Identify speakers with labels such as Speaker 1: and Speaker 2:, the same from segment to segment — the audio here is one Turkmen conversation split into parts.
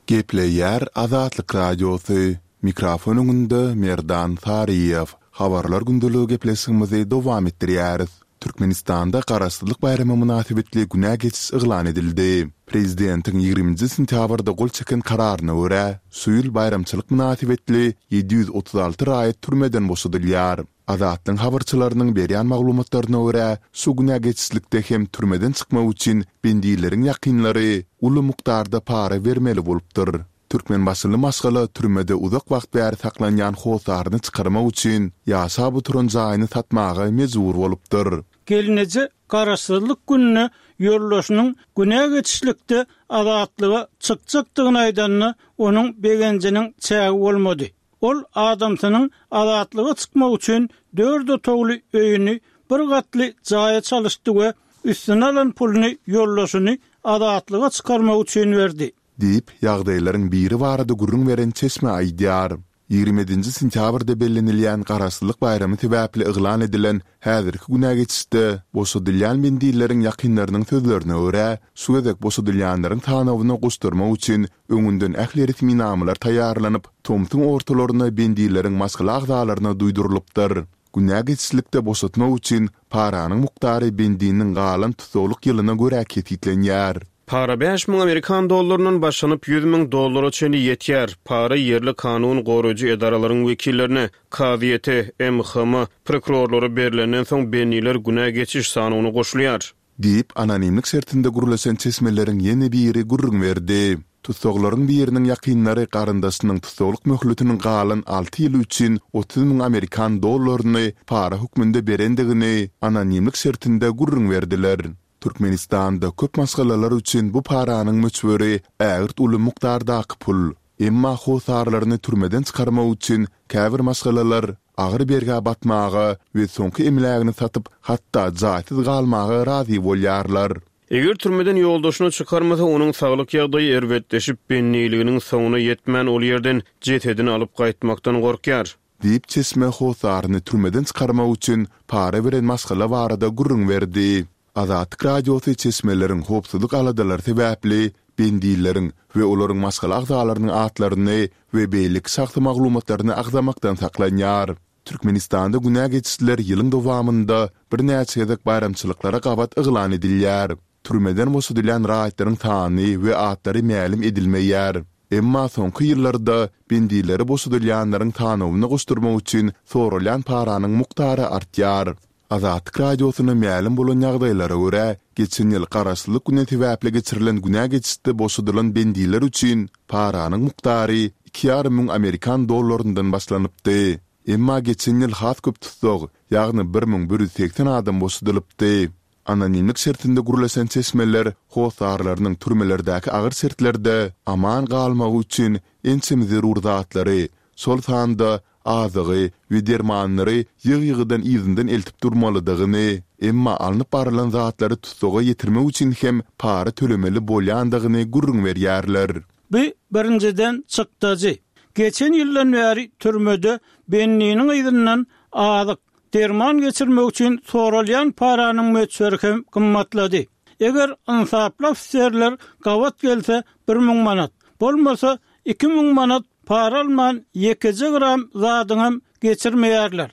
Speaker 1: Gepleýär Azatlyk Radiosy, Mikrofon öňünde Merdan Saryýew. Habarlar gündeligi gepleşigimizi dowam etdirýäris. Türkmenistanda Garaşsyzlyk baýramy mynasybetli günä geçiş yglan edildi. Prezidentiň ýigriminji sentýabrda gol çeken kararyna görä, şu ýyl baýramçylyk mynasybetli 736 raýat türmeden boşadylýar. Azatlygyň habarçylarynyň berýän maglumatlaryna görä, şu günä geçişlikde hem türmeden çykmak üçin bendileriň ýakynlary uly mukdarda para bermeli bolupdyr. Türkmenbaşyly maşgala türmede uzak wagt bäri saklanýan hossaryny çykarmak üçin ýaşap oturan jaýyny satmaga mejbur bolupdyr.
Speaker 2: Gelneje Garaşsyzlyk gününe ýoldaşynyň günä geçişlikde azatlyga çykjakdygyny aýdanda, onuň begenjiniň çägi bolmady. Ol adamsynyň azatlyga çykmak üçin dört otagly öýüni bir gatly jaýa çalyşdy we üstüne alan puluny ýoldaşyny azatlyga çykarmak üçin berdi.
Speaker 1: Diýip, ýagdaýlaryň biri barada gürrüň beren çeşme aýdýar. Ýigrimi ýedinji sentýabrda bellenilýän Garaşsyzlyk baýramy sebäpli yglan edilen häzirki günä geçişde boşadylýan bendileriň ýakynlarynyň sözlerine görä, şu gezek boşadylýanlaryň sanawyna goşdurmak üçin öňünden ähli resminamalar taýýarlanyp, tomsuň ortalaryna bendileriň maşgala agzalaryna duýdurylypdyr. Günä geçişlikde boşatmak üçin paranyň mukdary bendiniň galan tussaglyk ýylyna görä kesgitlenýär.
Speaker 3: Para 5000 amerikan dollaryndan başlanyp 100 000 dollara çenli ýetýär. Para ýerli kanun goraýjy edaralaryň wekillerine, kazyýete, MHM, prokurorlara berlenden soň bendiler günä geçiş sanawyna goşulýar.
Speaker 1: Diýip, anonimlik şertinde gürleşen çeşmeleriň ýene biri gürrüň berdi. Tussaglaryň biriniň ýakynlary garyndaşynyň tussaglyk möhletiniň galan alty ýyly üçin 30 müň amerikan dollaryny para hökmünde berendigini anonimlik şertinde gürrüň berdiler. Türkmenistanda köp maşgalalar üçin bu paranyň möçberi ägirt uly mukdardaky pul. Emma hossarlaryny türmeden çykarmak üçin käbir maşgalalar agyr bergä batmaga we soňky emlägini satyp, hatda jaýsyz galmaga razy bolýarlar.
Speaker 3: Eger türmeden ýoldaşyny çykarmasa, onuň saglyk ýagdaýy erbetleşip, bendiliginiň soňuna ýetmän ol ýerden jesedini alyp gaýtmakdan gorkýar.
Speaker 1: Diýip, çeşme hossaryny türmeden çykarmak üçin para beren maşgala barada gürrüň berdi. Azatlyk Radiosy çeşmeleriň howpsuzlyk aladalary sebäpli bendileriň we olaryň maşgala agzalarynyň atlaryny we beýleki şahsy maglumatlaryny agzamakdan saklanýar. Türkmenistanda günä geçişler ýylyň dowamynda birnäçe gezek baýramçylyklara gabat yglan edilýär. Türmeden boşadylýan raýatlaryň sany we atlary mälim edilmeýär. Emma soňky ýyllarda bendileri boşadylýanlaryň sanawyna goşdurmak üçin soralýan paranyň mukdary artýar. Azatlyk Radiosyna mälim bolan ýagdaýlara görä, geçen ýyl Garaşsyzlyk güni sebäpli geçirilen günä geçişde boşadylan bendiler üçin paranyň mukdary iki ýarym müň amerikan dollaryndan başlanypdy. Emma geçen ýyl has köp tussag, ýagny 1180 adam boşadylypdy. Anonimlik şertinde gürleşen çeşmeler hossarlarynyň türmelerdäki agyr şertlerde aman galmagy üçin ençeme zerur zatlary, şol sanda azygy we dermanlary ýygy-ýygydan yzyndan eltip durmalydygyny, emma alnyp barylan zatlary tussaga ýetirmek üçin hem para tölemeli bolýandygyny gürrüň berýärler.
Speaker 2: Bu, birinjiden, çykdajy. Geçen ýyldan bäri türmede bendiniň yzyndan azyk, derman geçirmek üçin soralýan paranyň möçberi hem gymmatlady. Eger ynsaply ofiserler gabat gelse 1000 manat, bolmasa 2000 manat Para alman ýekeje gram zadyňam geçirmeýärler.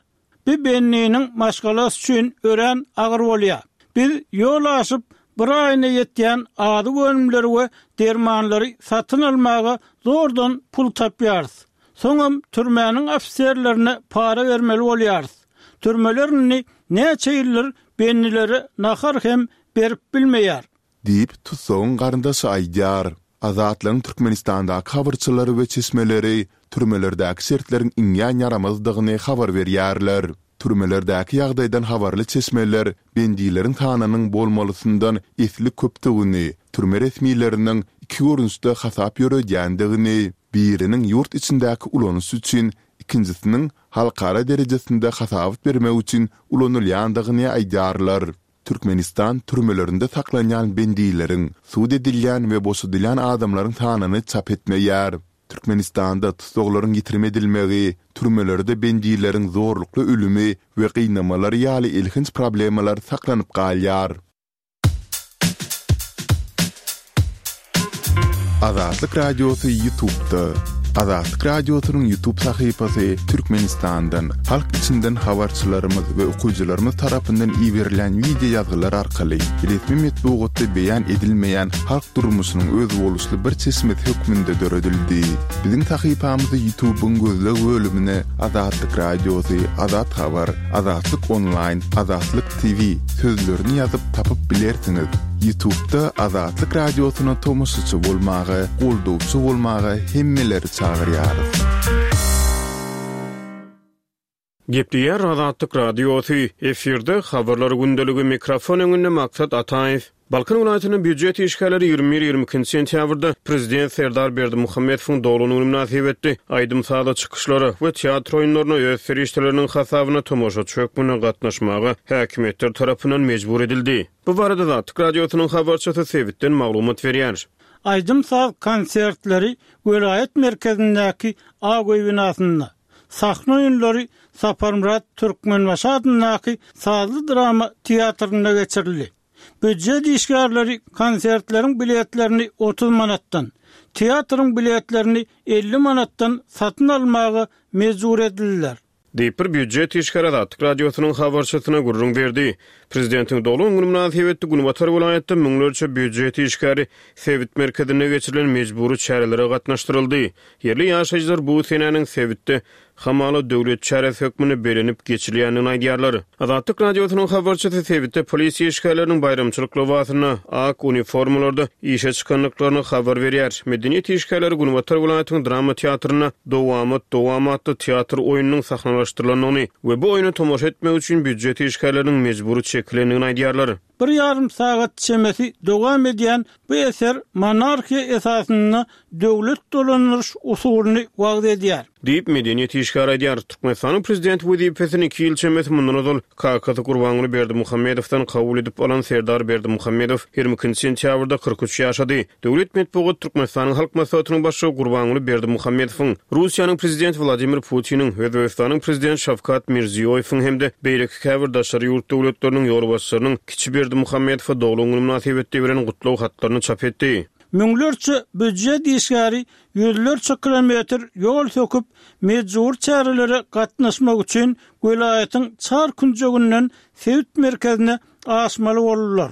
Speaker 2: Bu bendiniň maşgalasy üçin örän agyr bolýar. Biz ýol aşyp, bir aýyna ýetýän azyk önümleri we dermanlary satyn almaga zordan pul tapýarys. Soňam türmäniň ofiserlerine para bermeli bolýarys. Türmeler indi näçe ýyldyr bendilere nahar hem berip bilmeýär.
Speaker 1: Diýip, tussagyň garyndaşy aýdýar. Azatlygyň Türkmenistandaky habarçylary we çeşmeleri türmelerdäki şertleriň iňňän ýaramazdygyny habar berýärler. Türmelerdäki ýagdaýdan habarly çeşmeler bendileriň sanynyň bolmalysyndan esli köpdügini, türme resmileriniň iki görnüşde hasap ýöredýändigini, biriniň ýurt içindäki ulanyş üçin, ikinjisiniň halkara derejesinde hasabat bermek üçin ulanylýandygyny aýdýarlar. Türkmenistan türmelerinde saklanýan bendileriň, sud edilýän we boşadylýan adamlaryň sanyny çap etmeýär. Türkmenistanda tussaglaryň ýitirim edilmegi, türmelerde bendileriň zorlukly ölümi we gynamalary ýaly elhenç problemalar saklanyp galýar. Azatlyk Radiosy Ýutubda. Azatlyk Radiosynyň Ýutub sahypasy Türkmenistandan, halk içinden habarçylarymyz we okyjylarymyz tarapyndan iberilýän wideo ýazgylar arkaly resmi metbugatda beýan edilmeýän halk durmuşynyň özboluşly bir çeşmesi hökmünde döredildi. Biziň sahypamyzy Ýutubyň gözleg bölümine Azatlyk Radiosy, Azat Habar, Azatlyk Onlaýn, Azatlyk TV sözlerini ýazyp tapyp bilersiňiz. Ýutubda Azatlyk Radiosyna tomaşaçy bolmaga, goldawçy bolmaga hemmeleri çagyrýarys.
Speaker 3: Gepleýär Azatlyk Radiosy, efirde Habarlar gündeligi, mikrofon öňünde Maksat Ataýew. Balkan welaýatynda býujet işgärleri 21, 22 sentýabrda prezident Serdar Berdimuhamedowyň doglan güni mynasybetli aýdym-sazly çykyşlara we teatr oýunlaryna öz serişdeleriniň hasabyna tomaşaçy hökmünde gatnaşmaga häkimiýetler tarapyndan mejbur edildi. Bu barada Azatlyk Radiosynyň habarçysy sebitden maglumat berýär.
Speaker 2: Aýdym-saz konsertleri welaýat merkezindäki Ak öý binasynda, Sahna oýunlary Saparmyrat Türkmenbaşy adyndaky sazly-drama teatrynda geçirildi. Býujet işgärleri konsertleriň biletlerini 30 manatdan, teatryň biletlerini 50 manatdan satyn almaga mejbur edildiler.
Speaker 3: Diýip, bir býujet işgäri Azatlyk Radiosynyň habarçysyna gürrüň berdi. Prezidentiň doglan güni mynasybetli günbatar welaýatda müňlerçe býujet işgäri sebit merkezinde geçirilen mejbury çärelere gatnaşdyryldy. Ýerli ýaşaýjylar bu senäniň sebitde hamala döwlet çäresi hökmünde bellenip geçilýändigini aýdýarlar. Azatlyk Radiosynyň habarçysy sebitde polisiýa işgärleriniň baýramçylyk lybasynda, ak uniformalarda işe çykandyklaryny habar berýär. Medeniýet işgärleri günbatar welaýatyň drama teatrynda Dowamat, dowam atly teatr oýnunyň sahnalaşdyrylandygyny we bu oýna tomaşa etmek üçin býujet işgärleriniň mejbury çekilendigini aýdýarlar.
Speaker 2: Bir ýarym sagat çemesi dowam edýän bu eser monarhiýa esasynda döwlet dolandyryş usulyny wagyz edýär.
Speaker 3: Diýip, medeniýet işgäri aýdýar. Türkmenistanyň prezidenti wezipesini iki ýyl çemesi mundan ozal kakasy Gurbanguly Berdimuhamedowdan kabul edip alan Serdar Berdimuhamedow 22 sentýabrda 43 ýaşady. Döwlet metbugat Türkmenistanyň Halk Maslahatynyň Başlygy Gurbanguly Berdimuhamedowyň, Russiýanyň Prezidenti Wladimir Putiniň, Özbegistanyň Prezidenti Şawkat Mirziýoýewiň hem-de beýleki käbir daşary ýurt döwletleriniň ýolbaşçylarynyň kiçi Berdimuhamedowa doglan güni mynasybetli beren gutlag hatlaryny çap etdi.
Speaker 2: Müňlerçe býujet işgäri ýüzlerçe kilometr ýol söküp, mejbury çärelere gatnaşmak üçin welaýatyň çar künjeginden sebit merkezine aşmaly boldular.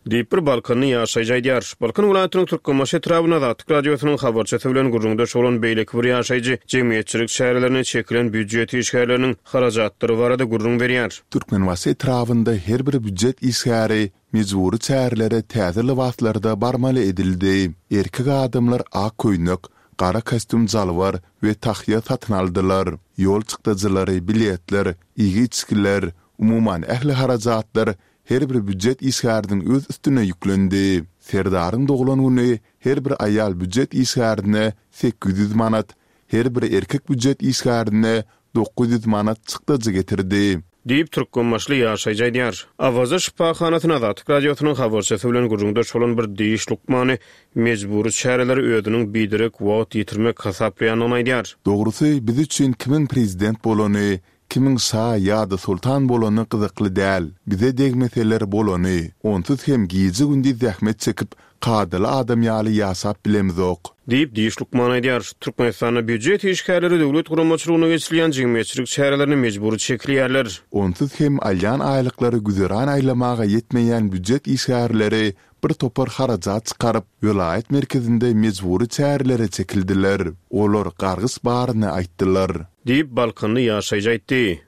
Speaker 3: Diýip, bir balkanly ýaşaýjy aýdýar. Balkan welaýatynyň Türkmenbaşy etrabynda Azatlyk Radiosynyň habarçysy bilen gürrüňdeş bolan beýleki bir ýaşaýjy jemgyýetçilik çärelerine çekilen býujet işgärleriniň harajatlary barada gürrüň berýär.
Speaker 1: Türkmenbaşy etrabynda her bir býujet işgäri mejbury çärelere täze lybaslarda barmaly edildi. Erkek adamlar ak köýnek, gara kostýum-jalbar we tahýa satyn aldylar. Ýol çykdajylary, biletler, iýgi-içgiler, umuman ähli harajatlar her bir býujet işgäriniň öz üstüne ýüklendi. Serdaryň doglan güni her bir aýal býujet işgärine 800 manat, her bir erkek býujet işgärine 900 manat çykdajy getirdi.
Speaker 3: Diýip, türkmenbaşyly ýaşaýjy aýdýar. Awaza şypahanasyna Azatlyk Radiosynyň habarçysy bilen gürrüňdeş bolan bir diş lukmany mejbury çäreleri özüniň biderek wagt ýitirmek hasaplaýandygyny aýdýar.
Speaker 1: Dogrusy, biz üçin kimiň prezident bolany, Kimiň şa ýa-da soltan bolany gyzykly däl, bize degmeseler bolany. Onsuz hem gije-gündiz zähmet çekip, kadaly adam ýaly ýaşap bilemzok.
Speaker 3: Diýip, diş lukmany aýdýar. Türkmenistanda býujet işgärleri döwlet guramaçylygynda geçirilýän jemgyýetçilik çärelerine mejbury çekilýärler.
Speaker 1: Onsuz hem alýan aýlyklary güzeran aýlamaga ýetmeýän býujet işgärleri bir topar harajat çykaryp, welaýat merkezinde mejbury çärelere çekildiler. Olar gargyş baryny aýtdylar.
Speaker 3: Diýip, balkanly ýaşaýjy aýtdy.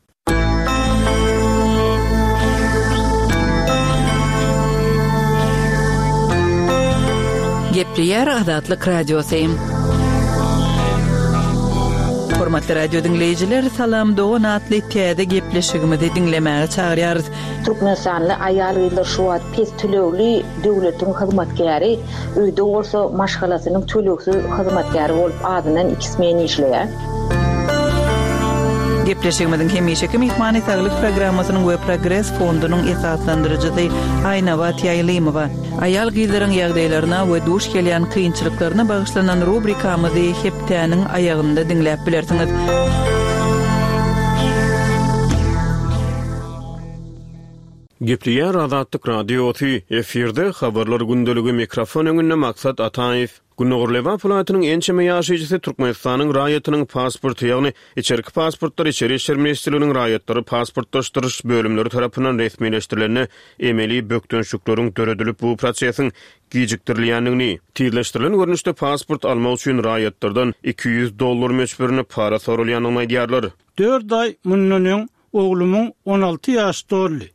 Speaker 4: Gepleýär Azatlyk Radiosy. Hormatly radio diňleýjiler, Salam dogan atly täze gepleşigimizi diňlemäge çagyrýarys.
Speaker 5: Türkmenistanly aýal-gyzlar şu wagt pes tölegli döwletiň hyzmatkäri, öýde bolsa maşgalasynyň tölegsiz hyzmatkäri bolup azyndan iki smen işleýär.
Speaker 4: Gepleşigimiziň hemişeki myhmany Saglyk programmasynyň we Progres fondunyň esaslandyryjysy Aýnabat Ýaýlymowa. Aýal-gyzlaryň ýagdaýlaryna we duş gelýän kynçylyklaryna bagyşlanan rubrikamyzy hepdäniň aýagynda diňläp bilersiňiz.
Speaker 3: Gepleýär Azatlyk Radiosy, efirde Habarlar gündeligi, mikrofon öňünde Maksat Ataýew. Gündogar Lebap welaýatynyň ençeme ýaşaýjysy Türkmenistanyň raýatynyň pasporty, ýagny içerki pasportlar Içeri işler ministrliginiň raýatlary pasportlaşdyryş bölümleri tarapyndan resmileşdirilende emeli bökdençlikleriň döredilip, bu prosesiň gijikdirilýändigini, tizleşdirilen görnüşde pasport almak üçin raýatlardan 200 dollar möçberinde para soralýandygyny aýdýarlar.
Speaker 2: Dört aý mundan öň oglumyň 16 ýaşy doldy.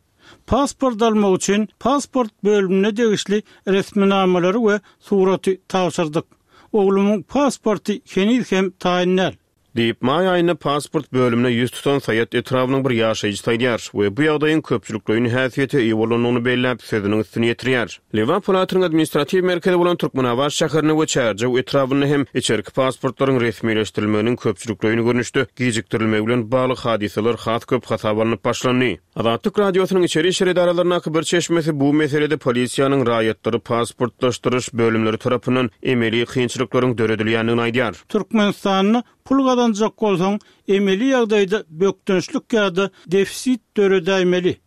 Speaker 2: Pasport almak üçin pasport bölümine degişli resminamalary we suraty tabşyrdyk. Oglumyň pasporty heniz hem taýyn däl.
Speaker 3: Diýip, maý aýynda pasport bölümine ýüz tutan Saýat etrabynyň bir ýaşaýjysy aýdýar we bu ýagdaýyň köpçülikleýin häsiýete eýe bolandygyny belläp, sözüniň üstüni ýetirýär. Lebap welaýatynyň administratiw merkezi bolan Türkmenabat şäherinde we Çärjew etrabynda hem içerki pasportlaryň resmileşdirilmeginiň köpçülikleýin görnüşde gijikdirilmegi bilen bagly hadysalar has köp hasaba alnyp başlandy. Azatlyk Radiosynyň içeri işler edaralaryndaky bir çeşmesi bu meselede polisiýanyň raýatlary pasportlaşdyryş bölümleri tarapyndan emeli kynçylyklaryň döredilýändigini aýdýar.
Speaker 2: Türkmenistanda pul gazanjak bolsaň, emeli ýagdaýda bökdençlik ýa-da defisit döredäýmeli.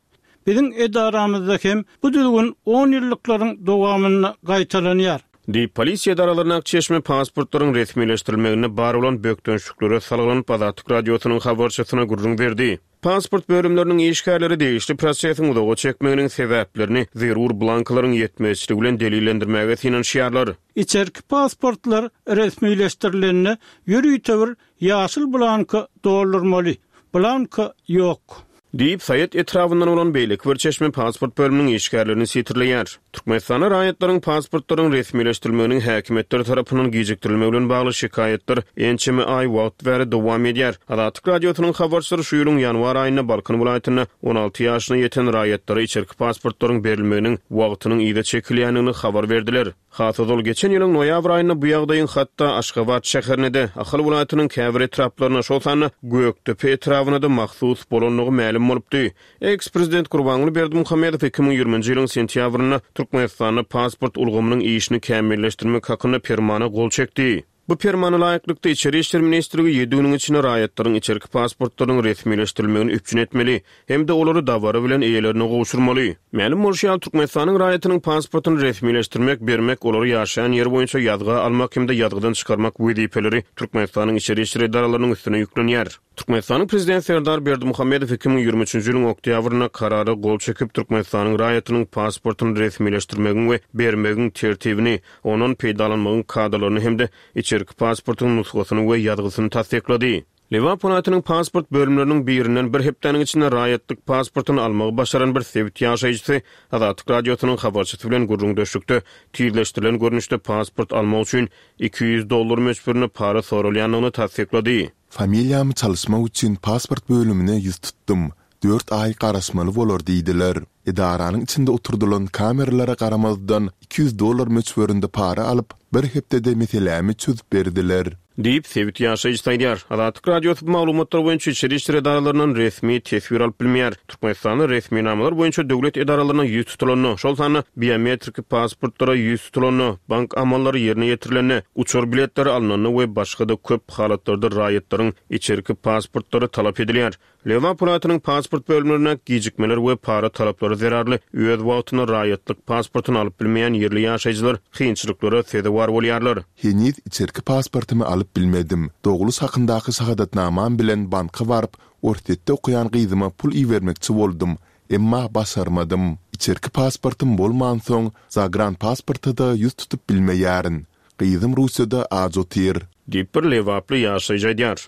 Speaker 2: Biziň edaramyzda hem bu düzgün on ýyllyklaryň dowamynda gaýtalanýar.
Speaker 3: Diýip, polisiýa edaralaryndaky çeşme pasportlaryň resmileşdirilmeginde bar bolan bökdençliklere salgylanyp, Azatlyk Radiosynyň habarçysyna gürrüň berdi. Pasport bölümleriniň işgärleri degişli prosesiň uzaga çekmeginiň sebäplerini zerur blankalaryň ýetmezçiligi bilen delillendirmäge synanyşýarlar.
Speaker 2: Içerki pasportlar resmileşdirilende ýörite bir ýaşyl blanka doldurmaly. Blanka ýok.
Speaker 3: Diýip, Saýat etrabyndan bolan beýleki bir çeşme pasport bölüminiň işgärlerini sitirleýär. Türkmenistanda raýatlaryň pasportlaryň resmileşdirilmeginiň häkimiýetler tarapyndan gijikdirilmegi bilen bagly şikaýatlar ençeme aý wagt bäri dowam edýär. Azatlyk Radiosynyň habarçylary şu ýylyň ýanwar aýynda Balkan welaýatynda 16 ýaşyna ýeten raýatlara içerki pasportlaryň berilmeginiň wagtynyň yza çekilýändigini habar berdiler. Has ozal geçen ýylyň noýabr aýynda bu ýagdaýyň hatda Aşgabat şäherine-de, Ahal welaýatynyň käbir etraplaryna, şol sanda Gökdepe etrabyna-da mahsus bolandygy mälim bolupdy. Eks-prezident Gurbanguly Berdimuhamedow 2020-nji ýylyň sentýabrynda Türkmenistanda pasport ulgamynyň işini kämilleşdirmek hakynda Permana gol çekdi. Bu Permana laýyklykda, Içeri işler ministrligi ýedi günüň içinde raýatlaryň içerki pasportlarynyň resmileşdirilmegini üpjün etmeli hem-de olary dabara bilen eýelerine gowşurmaly. Mälim bolşy ýaly, Türkmenistanyň raýatynyň pasportyny resmileşdirmek, bermek, olary ýaşaýan ýeri boýunça ýazga almak hem-de ýazgydan çykarmak wezipeleri Türkmenistanyň içeri işler edaralarynyň üstüne ýüklenýär. Türkmenistanyň Prezidenti Serdar Berdimuhamedow 2023-nji ýylyň oktýabrynda Karara gol çekip, Türkmenistanyň raýatynyň pasportyny resmileşdirmegiň we bermegiň tertibini, ondan peýdalanmagyň kadalaryny hem-de içerki pasportyň nusgasyny we ýazgysyny tassyklady. Lebap welaýatynyň pasport bölümleriniň birinden bir hepdäniň içinde raýatlyk pasportyny almagy başaran bir sebit ýaşaýjysy Azatlyk Radiosynyň habarçysy bilen gürrüňdeşlikde tizleşdirilen görnüşde pasport almak üçin 200 dollar möçberinde para soralýandygyny tassyklady.
Speaker 1: Familiýamy çalyşmak üçin pasport bölümine ýüz tutdum. Dört aý garaşmaly bolar diýdiler. Edaranyň içinde oturdylan kameralara garamazdan, 200 dollar möçberinde para alyp, bir hepdede meselämi çözüp berdiler.
Speaker 3: Diýip, sebit ýaşaýjysy aýdýar. Azatlyk Radiosy bu maglumatlar boýunça içeri işler edaralaryndan resmi teswir alyp bilmeýär. Türkmenistanda resminamalar boýunça döwlet edaralaryna ýüz tutulanda, şol sanda biometriki pasportlara ýüz tutulanda, bank amallary ýerine ýetirilende, uçar biletleri alnanda we başga-da köp halatlarda raýatlaryň içerki pasportlary talap edilýär. Lebap welaýatynyň pasport bölümlerindäki gijikmeler we para talaplary zerarly öz wagtynda raýatlyk pasportyny alyp bilmeýän ýerli ýaşaýjylar kynçylyklara sezewar bolýarlar.
Speaker 1: Heniz içerki pasportymy alyp bilmedim. Dogluş hakyndaky şahadatnamam bilen banka baryp, Orsýetde okaýan gyzyma pul ibermekçi boldum, emma başarmadym. Içerki pasportym bolmansoň, zagranpasporta-da ýüz tutup bilmeýärin. Gyzym Russiýada aç otyr.
Speaker 3: Diýip, bir lebaply ýaşaýjy aýdýar.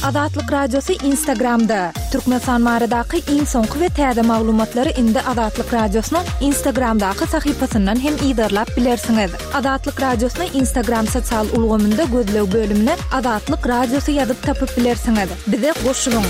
Speaker 6: Azatlyk Radiosy Instagramda! Türkmenistan baradaky iň soňky we täze maglumatlary indi Azatlyk Radiosynyň Instagramdaky sahypasyndan hem yzarlap bilersiňiz. Azatlyk Radiosyny Instagram sosial ulgamynda gözleg bölümine Azatlyk Radiosy ýazyp tapyp bilersiňiz. Bize goşulyň!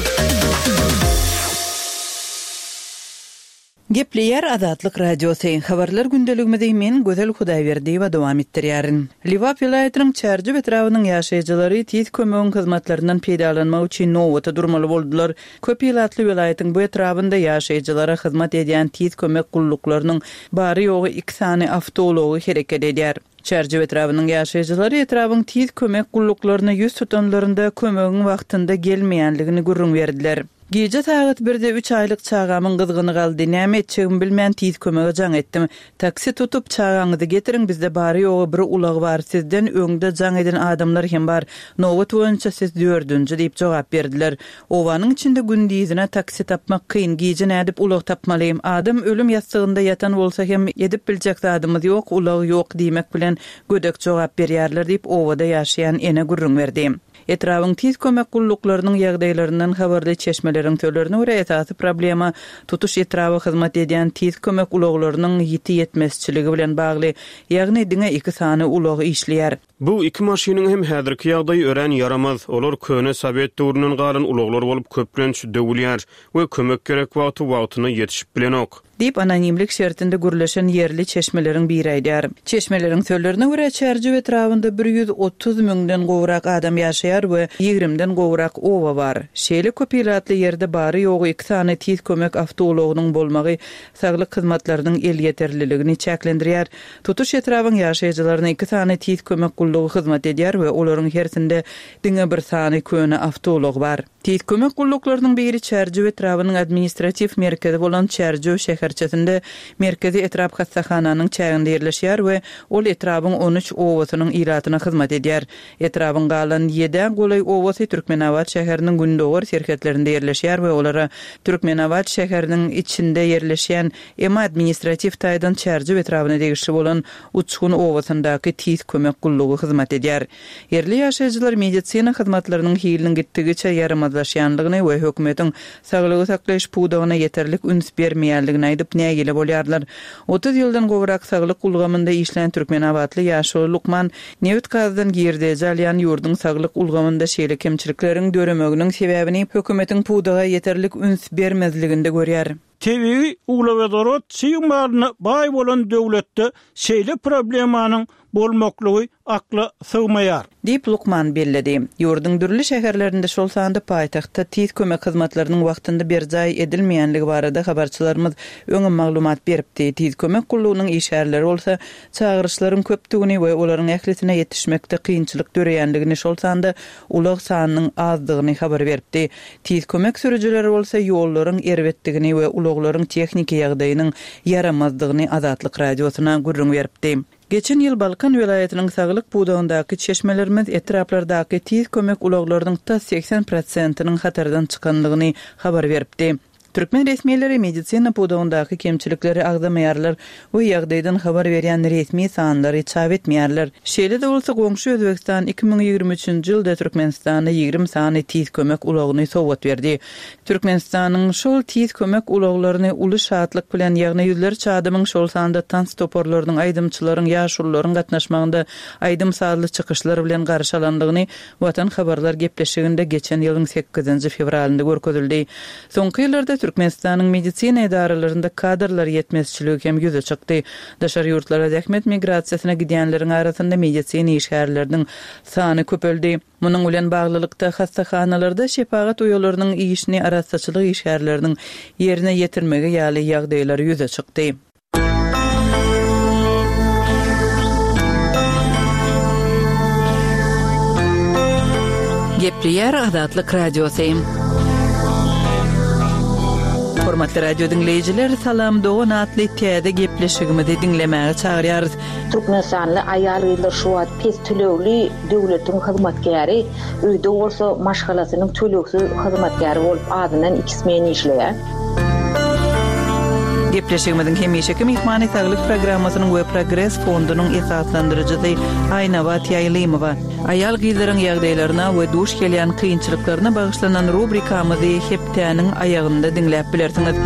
Speaker 4: Gepleýär Azatlyk Radiosy. Habarlar gündeligimizi men, Gözel Hudaýberdiýewa dowam etdirýärin. Lebap welaýatynyň Çärjew etrabynyň ýaşaýjylary tiz kömegiň hyzmatlaryndan peýdalanmak üçin nobata durmaly boldular. Köp ilatly welaýatyň bu etrabynda ýaşaýjylara hyzmat edýän tiz kömek gulluklarynyň bary-ýogy iki sany awtoulagy hereket edýär. Çärjew etrabynyň ýaşaýjylary etrabyň tiz kömek gulluklaryna ýüz tutanlarynda kömegiň wagtynda gelmeýänligini gürrüň berdiler. Gije sagat birde üç aýlyk çagamyň gyzgyny galdy. Näme etjegimi bilmän tiz kömege jaň etdim. Taksi tutup, çagaňyzy getiriň, bizde bary-ýogy bir ulag bar, sizden öňde jaň eden adamlar hem bar. Nobat boýunça siz dördünji diýip jogap berdiler. Obanyň içinde gündizine taksi tapmak kyn, gije nädip ulag tapmaly? Adam ölüm ýassygynda ýatan bolsa hem edip biljek zadymyz ýok, ulag ýok diýmek bilen gödek jogap berýärler diýip, obada ýaşaýan ene gürrüň berdi. Etrabyň tiz kömek gulluklarynyň ýagdaýlaryndan habarly çeşmeleriň sözlerine görä, esasy problema tutuş etraba hyzmat edýän tiz kömek ulaglarynyň ýiti ýetmezçiligi bilen bagly, ýagny diňe iki sany ulag işleýär.
Speaker 3: Bu iki maşynyň hem häzirki ýagdaýy örän ýaramaz. Olar köne sowet döwründen galan ulaglar bolup, köplenç döwülýär we kömek gerek wagty wagtynda ýetişip bilenok.
Speaker 4: Diýip, anonimlik şertinde gürleşen ýerli çeşmeleriň biri aýdýar. Çeşmeleriň sözlerine görä, Çärjew etrabynda 130 müňden gowrak adam ýaşaýar we ýigrimden gowrak oba bar. Şeýle köp ilatly ýerde bary-ýogy iki sany tiz kömek awtoulagynyň bolmagy saglyk hyzmatlarynyň elýeterliligini çäklendirýär. Tutuş etrabyň ýaşaýjylaryna iki sany tiz kömek gullugy hyzmat edýär we olaryň hersinde diňe bir sany köne awtoulag bar. Tiz kömek gulluklarynyň biri Çärjew etrabynyň administratiw merkezi bolan Çärjew şäherçesinde merkezi etrap hassahananyň çäginde ýerleşýär we ol etrabyň on üç obasynyň ilatyna hyzmat edýär. Etrabyň galan ýedä golaý obasy Türkmenabat şäheriniň gündogar serhetlerinde ýerleşýär we olara Türkmenabat şäheriniň içinde ýerleşýän Emma administratiw taýdan Çärjew etrabyna degişli bolan Uçgun obasyndaky Tiz kömek gullugy hyzmat edýär. Ýerli ýaşaýjylar medisina hyzmatlarynyň hiliniň gitdigiçe ýaramazlaşýandygyny we hökümetiň saglygy saklaýyş pudagyna ýeterlik üns bermeýändigini aýdyp nägile bolýarlar. 30 ýyldan gowrak saglyk ulgamynda işlän türkmenabatly ýaşuly lukman nebit-gazdan girdeji alýan ýurduň saglyk ulgamynda şeýle kemçilikleriň döremeginiň sebäbini hökümetiň pudaga ýeterlik üns bermezliginde görýär.
Speaker 2: Tebigy uglewodorod çig malyna baý bolan döwletde şeýle problemanyň bolmaklygy akla sygmaýar.
Speaker 4: Diýip, lukman belledi. Ýurduň dürli şäherlerinde, şol sanda paýtagtda tiz kömek hyzmatlarynyň wagtynda berjaý edilmeýänligi barada habarçylarymyz öňem maglumat beripdi. Tiz kömek gullugynyň işgärleri bolsa, çagyryşlaryň köpdügini we olaryň ählisine ýetişmekde kynçylyk döreýänligini, şol sanda ulag sanynyň azdygyny habar beripdi. Tiz kömek sürüjileri bolsa ýollaryň erbetdigini we ulaglaryň tehniki ýagdaýynyň ýaramazdygyny Azatlyk Radiosyna gürrüň beripdi. Geçen ýyl Balkan welaýatynyň saglyk pudagyndaky çeşmelerimiz etraplardaky tiz kömek ulaglarynyň tas 80 prosentiniň hatardan çykandygyny habar beripdi. Türkmen resmileri medisina pudagyndaky kemçilikleri agzamaýarlar we ýagdaýdan habar berýän resmi sanlary çap etmeýärler. Şeýle-de bolsa, goňşy Özbegistan 2023-nji ýylda Türkmenistana 20 sany tiz kömek ulagyny sowgat berdi. Türkmenistanyň şol tiz kömek ulaglaryny uly şatlyk bilen, ýagny ýüzlerçe adamyň, şol sanda tans toparlarynyň, aýdymçylaryň, ýaşulularyň gatnaşmagynda aýdym-sazly çykyşlar bilen garşy alandygyny Watan habarlar gepleşiginde geçen ýylyň sekizinji fewralynda görkezildi. Soňky ýyllarda Türkmenistanyň medisina edaralarynda kadrlar ýetmezçiligi hem ýüze çykdy. Daşary ýurtlara zähmet migrasiýasyna gidýänleriň arasynda medisina işgärleriniň sany köpeldi. Munuň bilen baglylykda, hassahanalarda şepagat uýalarynyň işini arassaçylyk işgärleriniň ýerine ýetirmegi ýaly ýagdaýlar ýüze çykdy. Gepleýär Azatlyk Radiosy. Hormatly radio diňleýjiler, Salam dogan atly täze gepleşigimizi diňlemäge çagyrýarys.
Speaker 5: Türkmenistanly aýal-gyzlar şu wagt pes tölegli döwletiň hyzmatkäri, öýde bolsa maşgalasynyň tölegsiz hyzmatkäri bolup azyndan iki smen işleýär.
Speaker 4: Gepleşigimiziň hemişeki myhmany Saglyk programmasynyň we Progres fondunyň esaslandyryjysy Aýnabat Ýaýlymowa. Aýal-gyzlaryň ýagdaýlaryna we duş gelýän kynçylyklaryna bagyşlanan rubrikamyzy hepdäniň aýagynda diňläp bilersiňiz.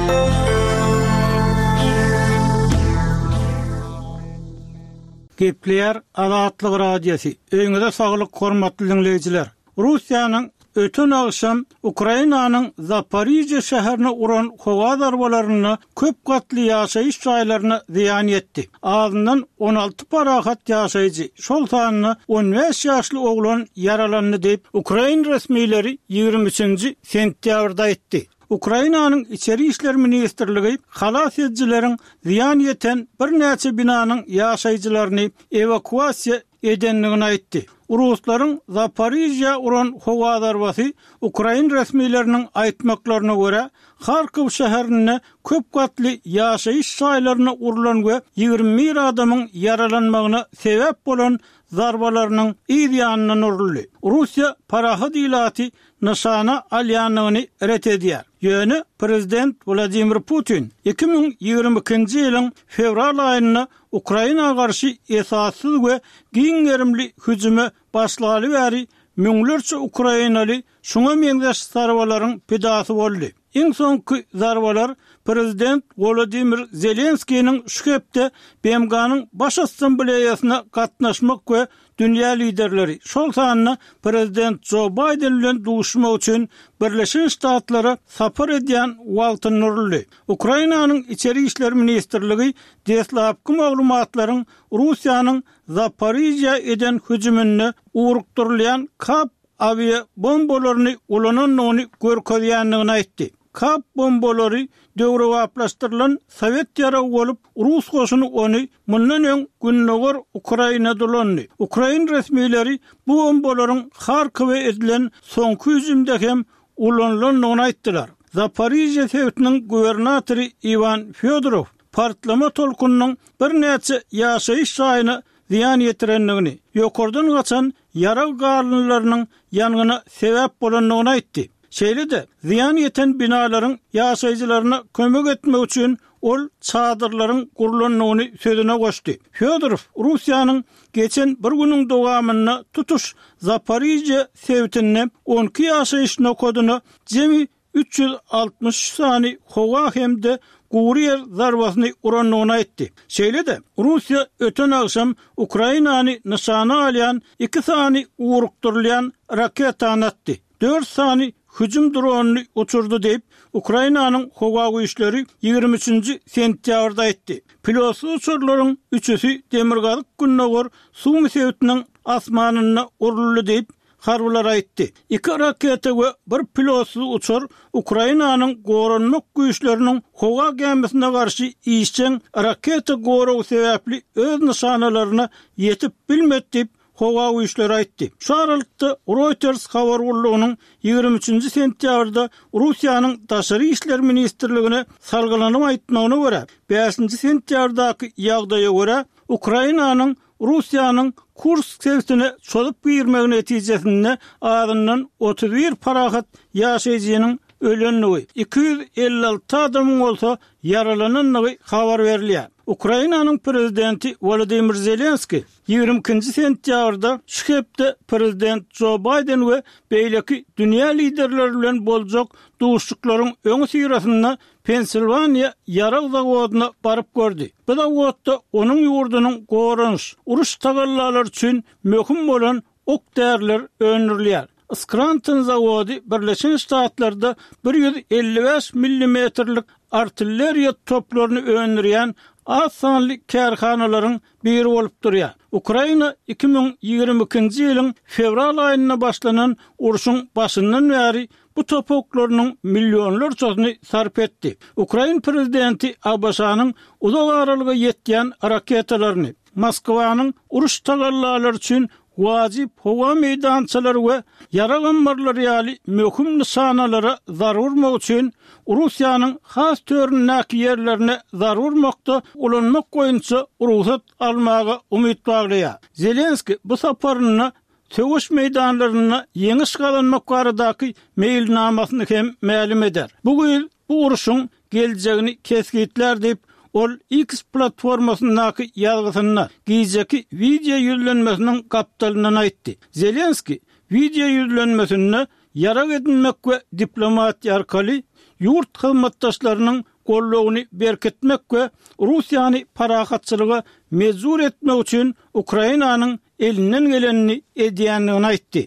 Speaker 2: Gepleýär Azatlyk Radiosy, Öýüňize saglyk hormatly diňleýjiler! Russiýanyň öten agşam Ukrainanyň Zaporižýa şäherine uran howa zarbalarynda köp gatly ýaşaýyş jaýlaryna zyýan ýetdi. Azyndan 16 parahat ýaşaýjy, şol sanda 15 ýaşly oglan ýaralandy diýip, ukrain resmileri 23-nji sentýabrda aýtdy. Ukrainanyň Içeri işler ministrligi halas edijileriň zyýan ýeten birnäçe binanyň ýaşaýjylaryny ewakuasiýa edendigini aýtdy. Ruslaryň Zaporižýa uran howa zarbasy, ukrain resmileriniň aýtmaklaryna görä, Harkow şäherinde köp gatly ýaşaýyş jaýlaryna urlan we 21 adamyň ýaralanmagyna sebäp bolan zarbalarynyň yz ýanyndan uruldy. Russiýa parahat ilaty nyşana alýandygyny ret edýär. Ýöne prezident Wladimir Putin 2022-nji ýylyň fewral aýynda Ukraina garşy esassyz we giň gerimli hüjüme başlaly bäri müňlerçe ukrainaly şuňa meňzeş zarbalaryň pidasy boldy. Iň soňky zarbalar prezident Wolodymyr Zelenskiniň şu hepde BMG-niň Baş Assambleýasyna gatnaşmak we dünýä liderleri, şol sanda prezident Jo Baýden bilen duşmak üçin Birleşen Ştatlara sapar edýän wagtynda uruldy. Ukrainanyň Içeri işler ministrligi deslapky maglumatlaryň Russiýanyň Zaporižýa eden hüjüminde ugrukdyrylýan KAB awiabombalaryny ulanandygyny görkezýändigini aýtdy. KAB bombalary döwrebaplaşdyrylan sowet ýaragy bolup, rus goşuny ony mundan öň gündogar Ukrainada ulandy. Ukrain resmileri bu bombalaryň Harkowa edilen soňky hüjümde hem ulanylandygyny aýtdylar. Zaporižýa sebitiniň gubernatory Iwan Fýodorow partlama tolkunynyň birnäçe ýaşaýyş jaýyna zyýan ýetirendigini, ýokardan gaçan ýarag galyndylarynyň ýangyna sebäp bolandygyny aýtdy. Şeýle-de, zyýan ýeten binalaryň ýaşaýjylaryna kömek etmek üçin ol çadyrlaryň gurlandygyny sözüne goşdy. Fýodorow Russiýanyň geçen bir günüň dowamynda tutuş Zaporižýa sebitinde 12 ýaşaýyş nokadyna jemi 363 sany howa hem-de gury ýer zarbasyny urandygyny aýtdy. Şeýle-de, Russiýa öten agşam Ukrainany nyşana alýan iki sany ugrukdyrylýan raketany atdy, dört sany hüjüm dronyny uçurdy diýip, Ukrainanyň howa güýçleri 23-nji sentýabrda aýtdy. Pilotsyz uçarlaryň üçüsi demirgazyk-gündogar Sumy sebitiniň asmanynda uruldy diýip, Harbylar aýtdy. Iki raketa we bir pilotsyz uçar Ukrainanyň goranmak güýçleriniň howa gämisine garşy işjeň raketa goragy sebäpli öz nyşanalaryna ýetip bilmedi diýip, howa güýçleri aýtdy. Şu aralykda, Reuters habar gullugynyň 23-nji sentýabrda Russiýanyň Daşary işler ministrligine salgylanyp aýtmagyna görä, bäşinji sentýabrdaky ýagdaýa görä, Ukrainanyň Russiýanyň Kursk sebitine çozup girmegi netijesinde azyndan 31 parahat ýaşaýjynyň ölendigi, 256 adamyň bolsa ýaralanandygy habar berilýär. Ukrainanyň prezidenti Wolodymyr Zelenskiý 22-nji sentýabrda şu hepde prezident Jo Baýden we beýleki dünýä liderleri bilen boljak duşuşyklaryň öňüsyrasynda Pensilwaniýa ýarag zawodyna baryp gördi. Bu zawodda onuň ýurdunyň goranyş, uruş tagallalary üçin möhüm bolan ok-däriler öndürilýär. Skranton zawody Birleşen Ştatlarda 155 millimetrlik artilleriýa toplaryny öndürýän az sanly kärhanalaryň biri bolup durýar. Ukraina 2022-nji ýylyň fewral aýynda başlanan urşuň başyndan bäri bu top oklarynyň millionlarçasyny sarp etdi. Ukrain prezidenti ABŞ-nyň uzak aralyga ýetýän raketalaryny, Moskwanyň uruş tagallalary üçin wajyp howa meýdançalary we ýarag ammarlary ýaly möhüm nyşanalara zarba urmak üçin Russiýanyň has töründäki ýerlerine zarba urmakda ulanmak boýunça rugsat almaga umyt baglaýar. Zelenskiý bu saparynda söweş meýdanlarynda ýeňiş gazanmak baradaky meýilnamasyny hem mälim eder. Bu güýz bu urşuň geljegini kesgitlär diýip, ol X platformasyndaky ýazgysynda gijeki wideo ýüzlenmesiniň gapdalyndan aýtdy. Zelenskiý wideo ýüzlenmesinde ýarag edinmek we diplomatiýa arkaly ýurt hyzmatdaşlarynyň goldawyny berkitmek we Russiýany parahatçylyga mejbur etmek üçin Ukrainanyň elinden gelenini edýändigini aýtdy.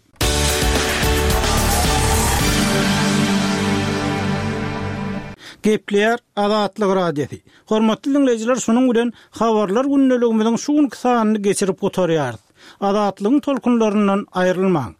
Speaker 2: Gepleýär Azatlyk Radiosy. Hormatly diňleýjiler, şunuň bilen Habarlar gündeligimiziň şu günki sanyny geçirip gutarýarys. Azatlygyň tolkunlaryndan aýrylmaň.